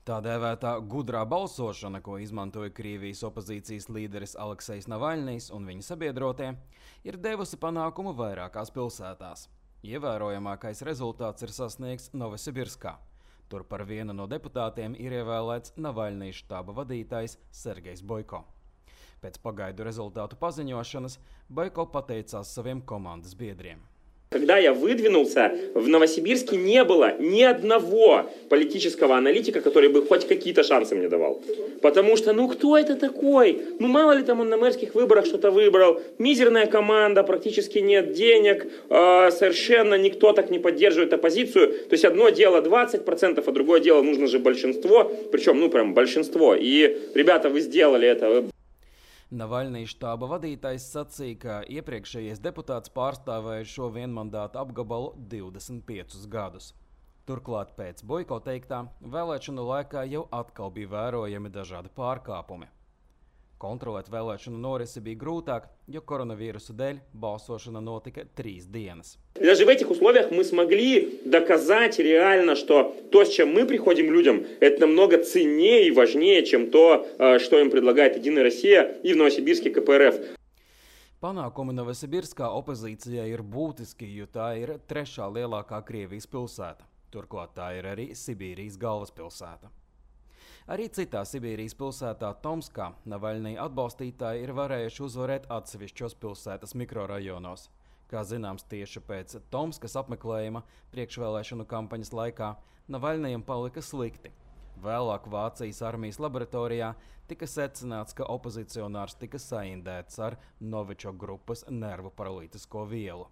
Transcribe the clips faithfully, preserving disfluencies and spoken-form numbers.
Tā dēvētā gudrā balsošana, ko izmantoja Krievijas opozīcijas līderis Aleksejs Navaļnijs un viņa sabiedrotie, ir devusi panākumu vairākās pilsētās. Ievērojamākais rezultāts ir sasniegts Novosibirskā. Tur par vienu no deputātiem ir ievēlēts Navaļnija štāba vadītājs Sergejs Boiko. Pēc pagaidu rezultātu paziņošanas Boiko pateicās saviem komandas biedriem. Когда я выдвинулся, в Новосибирске не было ни одного политического аналитика, который бы хоть какие-то шансы мне давал. Потому что, ну кто это такой? Ну мало ли там он на мэрских выборах что-то выбрал. Мизерная команда, практически нет денег, э, совершенно никто так не поддерживает оппозицию. То есть одно дело двадцать процентов, а другое дело нужно же большинство. Причем, ну прям большинство. И, ребята, вы сделали это. Navaļnija štāba vadītājs sacīja, ka iepriekšējais deputāts pārstāvēja šo vienmandātu apgabalu divdesmit piecus gadus. Turklāt pēc Boiko teiktā vēlēšanu laikā jau atkal bija vērojami dažādi pārkāpumi. Kontrolēt vēlēšanu norisi bija grūtāk, jo koronavīrusa dēļ balsošana notika trīs dienas. Даже в этих условиях мы смогли доказать реально, что то, с чем мы приходим людям, это намного ценнее и важнее, чем то, что им предлагает Единая Россия и в Новосибирске ка пэ эр эф. Panākumi Novosibirskā opozīcijai ir būtiski, jo tā ir trešā lielākā Krievijas pilsēta. Turklāt tā ir arī Sibīrijas galvaspilsēta. Arī citā Sibīrijas pilsētā Tomskā Navaļnija atbalstītāji ir varējuši uzvarēt atsevišķos pilsētas mikrorajonos. Kā zināms, tieši pēc Tomskas apmeklējuma priekšvēlēšanu kampaņas laikā Navaļnijam palika slikti. Vēlāk Vācijas armijas laboratorijā tika secināts, ka opozicionārs tika saindēts ar Novičok grupas nervu paralītisko vielu.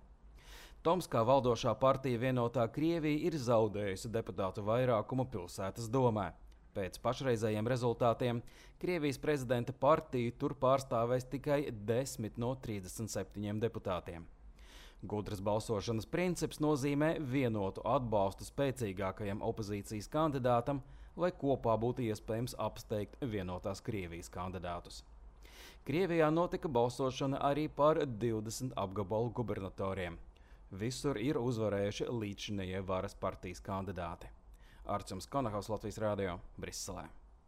Tomskā valdošā partija Vienotā Krievija ir zaudējusi deputātu vairākumu pilsētas domē. Pēc pašreizējiem rezultātiem Krievijas prezidenta partija tur pārstāvēs tikai desmit no trīsdesmit septiņiem deputātiem. Gudras balsošanas princips nozīmē vienotu atbalstu spēcīgākajam opozīcijas kandidātam, lai kopā būtu iespējams apsteigt vienotās Krievijas kandidātus. Krievijā notika balsošana arī par divdesmit apgabalu gubernatoriem. Visur ir uzvarējuši līdzšinējie varas partijas kandidāti. Arčuns Konahaus, Latvijas radio, Briselē.